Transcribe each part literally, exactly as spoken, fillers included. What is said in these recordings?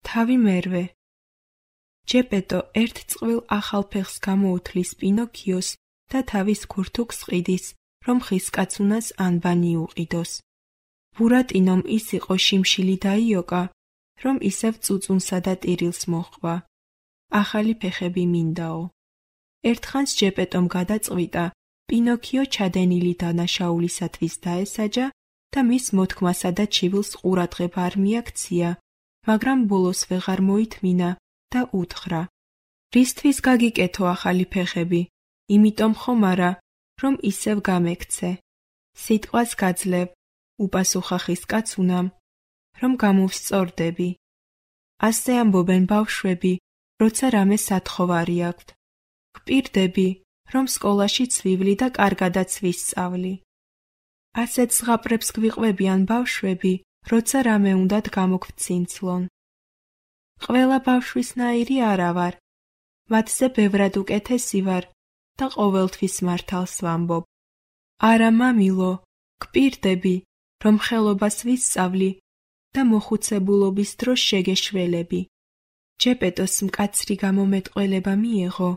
თავი მერვე. ჯეპეტო ერთ წყვილ ახალ ფეხს გამოუთლის პინოქიოს და თავის ქურთუქს ყიდის, რომ ხისკაცუნას ანბანი უყიდოს. ბურატინომ ის იყო შიმშილი დაიოკა, რომ ისევ წუწუნსა და ტირილს მოჰყვა. ახალი ფეხები მინდაო. ერთხანს ჯეპეტომ გადაწყვიტა, პინოქიო ჩადენილი დანაშაულისათვის დაესაჯა და მის მოთქმასა და ჩივილს ყურადღება არ მიაქცია, მაგრამ ბოლოს ვეღარ მოითმინა და უთხრა: რისთვის გაგიკეთო ახალი ფეხები? იმიტომ ხომ არა, რომ ისევ გამექცე. სიტყვას გაძლევ, უპასუხა ხისკაცუნამ, რომ გამოვსწორდები. ასე ამბობენ ბავშვები, როცა რამე სათხოვარი აქვთ. გპირდები, რომ სკოლაში ცვივლი და კარგადაც ვისწავლი. ასეთ ზღაპრებს გვიყვებიან ბავშვები, როცა რამე უნდათ გამოგვცინცლონ. ყველა ბავშვისნაირი არა ვარ, მათზე ბევრად უკეთესი ვარ და ყოველთვის მართალს ვამბობ. არა მამილო, გპირდები, რომ ხელობას ვისწავლი და მოხუცებულობის დროს შეგეშველები. ჯეპეტოს მკაცრი გამომეტყველება მიეღო,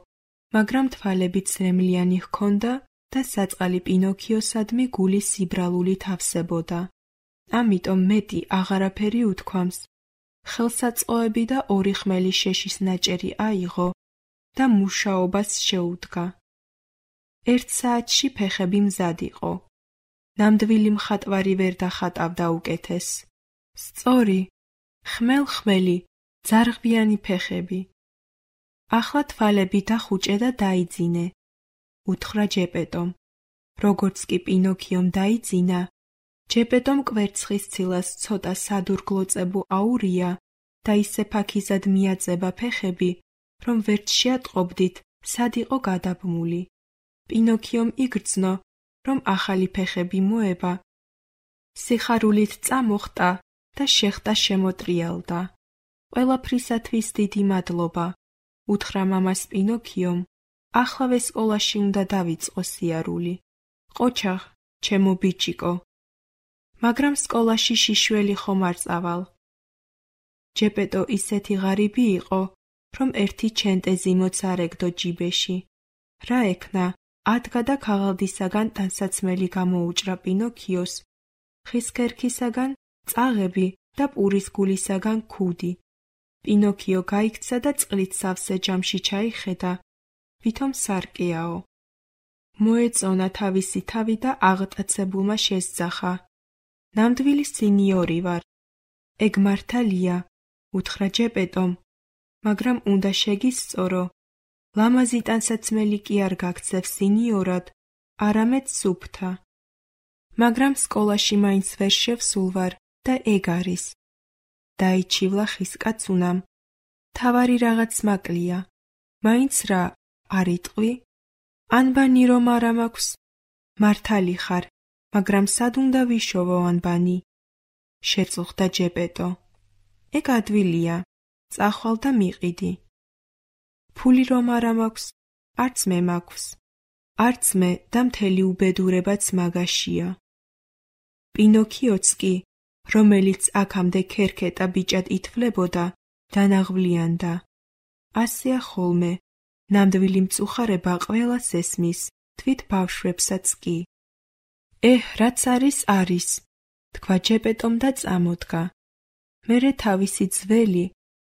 მაგრამ თვალები ცრემლიანი ჰქონდა და საწყალი პინოქიოსადმი გული სიბრალული თავსებოდა. ამიტომ მეტი აღარაფერი უთქვამს. ხელსაწყოები და ორი ხმელი შეშის ნაჭერი აიღო და მუშაობას შეუდგა. ერთ საათში ფეხები მზად იყო. ნამდვილი მხატვარი ვერ დახატავდა უკეთეს. სწორი, ხმელ-ხმელი, ძარღვიანი ფეხები. ახლა თვალები დახუჭე და დაიძინე, უთხრა ჯეპეტომ. როგორც კი პინოქიომ დაიძინა, ჯეპეტომ კვერცხის ცილას ცოტა სადურგლოწებუ აურია და ისე ფაქიზად მიაწება ფეხები, რომ ვერც შეატყობდით, სად იყო გადაბმული. პინოქიომ იგრძნო, რომ ახალი ფეხები მოება. სიხარულით წამოხტა და შეხტა შემოტრიალდა. ყველაფრისათვის დიდი მადლობა, უთხრა მამას პინოქიომ. ახლავე სკოლაში უნდა დავიწყო სიარული. ყოჩაღ, ჩემო ბიჭიკო. მაგრამ სკოლაში შიშველი ხომ არ წავალ. ჯეპეტო ისეთი ღარიბი იყო, რომ ერთი ჩენტეზი მოцарეგდო ჯიბეში. რა ექნა, ადგა და ქაღალდისაგან ტანსაცმელი გამოუჭრა პინოქიოს, ხის ქერქისაგან წაღები და პურის გულისაგან ქუდი. პინოქიო გაიქცა და წყლით სავსე ჯამში ჩაიხედა, ვითომ სარკეაო. მოეწონა თავისი თავი და აღტაცებულმა შესძახა. ნამდვილი სინიორი ვარ. ეგ მართალია, უთხრა ჯეპეტომ, მაგრამ უნდა შეგისწორო. ლამაზი ტანსაცმელი კი არ გაქცევ სინიორად, არამედ სუფთა. მაგრამ სკოლაში მაინც ვერ შევსულ ვარ და ეგ არის. დაიჩივლა ხისკაცუნამ. თავარი რაღაც მაკლია. მაინც რა, არ იტყვი? ანბანი რომ არა მაქვს? მართალი ხარ, მაგრამ სად უნდა ვიშოვო ანბანი? შეწუხდა ჯეპეტო. ეგ ადვილია, წახვალ და მიყიდი. ფული რომ არა მაქვს? არც მე მაქვს. არც მე და მთელი უბედურებაც მაგაშია. პინოქიოც კი, რომელიც აქამდე ქერქეტა ბიჭად ითვლებოდა, დანაღვლიანდა. ასეა ხოლმე, ნამდვილი მწუხარება ყველას ესმის, თვით ბავშვებსაც კი. ეჰ, რაც არის, არის, თქვა ჯეპეტომ და წამოდგა. მერე თავისი ძველი,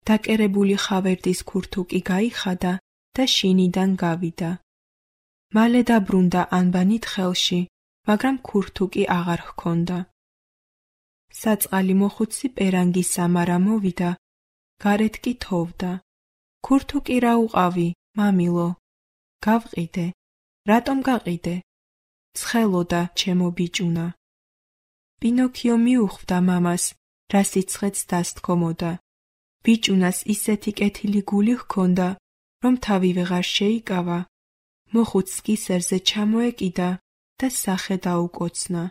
დაკერებული ხავერდის ქურთუკი გაიხადა და შინიდან გავიდა. მალე დაბრუნდა ანბანით ხელში, მაგრამ ქურთუკი აღარ ჰქონდა. საწყალი მოხუცი პერანგის სამარა მოვიდა, გარეთ კი თოვდა. ქურთუკი რა უყავი, მამილო? გავყიდე. რატომ გაყიდე? ცხელოდა, ჩემო ბიჭუნა. პინოქიო მიუხვდა მამას, რა სიცხეც დასთქომოდა. ბიჭუნას ისეთი კეთილი გული ჰქონდა, რომ თავი ვეღარ შეიკავა. მოხუცს კისერზე ჩამოეკიდა და სახე დაუკოცნა.